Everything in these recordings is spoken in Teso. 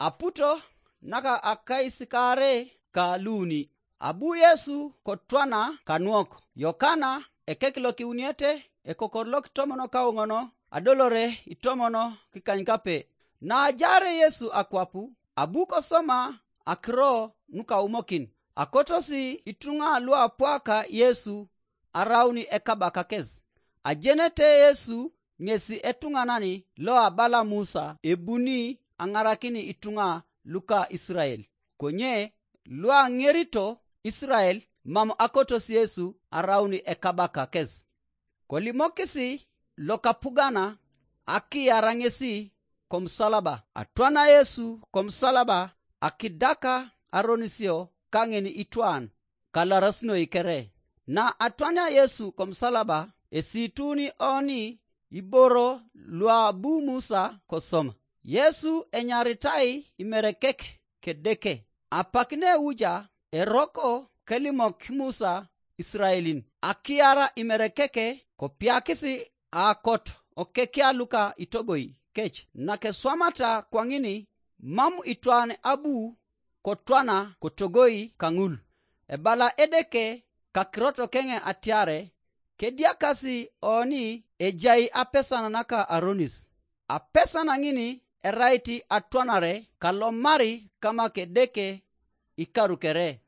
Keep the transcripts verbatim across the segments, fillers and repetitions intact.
Aputo naka akaisikaare ka luuni. Abu Yesu kotwana kanuok. Yokana ekek lokiuniete, ekokor lokitomono kauŋono, adolore itomono kikanykape. Naajaare Yesu akwapu, abu kosoma akiro nukaumokin. Akotosi ituŋa luapwaka Yesu arauni ekabakakes. Ajenete Yesu ŋesi etuŋanan loabala Musa ebuni aŋarakini ituŋa luka Isirael. Konye luaŋerito Isirael mam akotos Yesu arauni ekabakakes. Kolimokisi lokapugana akiyara ŋesi komusalaba. Atwana Yesu komusalaba akidaka aronisio kaŋin itwan kalarasinoi kere. Na atwania Yesu komusalaba esituni oni iboro luabu Musa kosoma. Yesu enyaritai imerekek kedeke. Apak neuja eroko kelimok Musa Israelin akiara imerekeke kopiakisi akot okekia luka itogoi kec nakeswamata kwaŋini mam itwan abu kotwana kotogoi kaŋul. Ebala Edeke kakirot keŋe atiare kediakasi oni ejai apesan naka aronis. Apesan ŋini erait atwanare kalomari kama kedeke ikaru kere.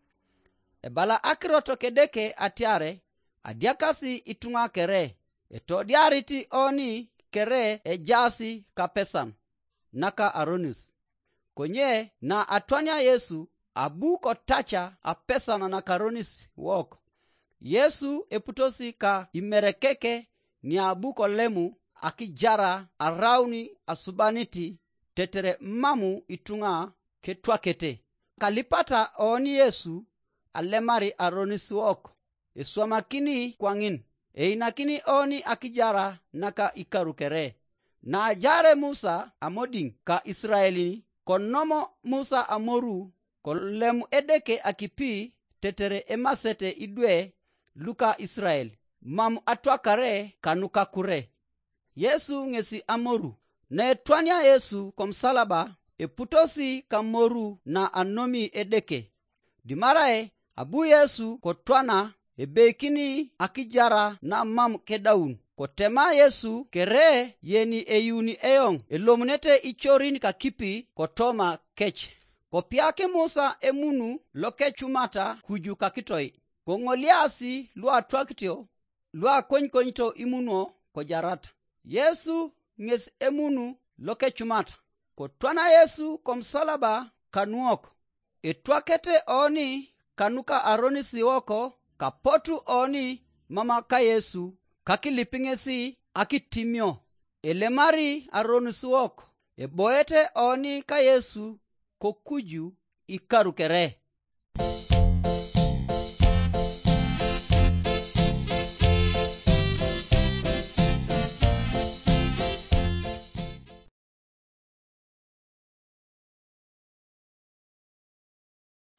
Ebala akirot kedeke atiare adiakasi ituŋa kere etodiarit oni kere ejaasi kapesan naka aronis. Konye na atwania Yesu abu kotaca apesan nakaronis wok. Yesu eputosi ka imerekeke niabu kolemu akijara arauni asubaniti tetere mamu ituŋa ketwakete. Kalipata oni Yesu alemari aronis wok eswamakini kwaŋin, einakini oni akijara naka ikaru kere. Naajare Musa amodiŋ ka Israelin konomo Musa amoru kolem Edeke akipi tetere emasete idwe luka Israel mam atwakare kanuka kure. Yesu ŋesi amoru. Naetwania Yesu komusalaba eputosi kamoru na anomi Edeke. Dimarae abu Yesu kotwana ebeikini akijara namam kedaun. Kotema Yesu kere yeni eyuni eoŋ elomunete icorin kakipi kotoma kec. Kopiak Musa emunu lokecumata kuju kakitoi, koŋoliasi luatwakitio luakonykonito imunuo kojarata. Yesu ŋes emunu lokecumata. Kotwana Yesu komusalaba kanuok. Etwakete oni kanuka aronis wok kapotu oni mama ka Yesu kakilip ŋesi akitimio. Elemari aronis wok eboete oni ka Yesu kokuju ikaru kere.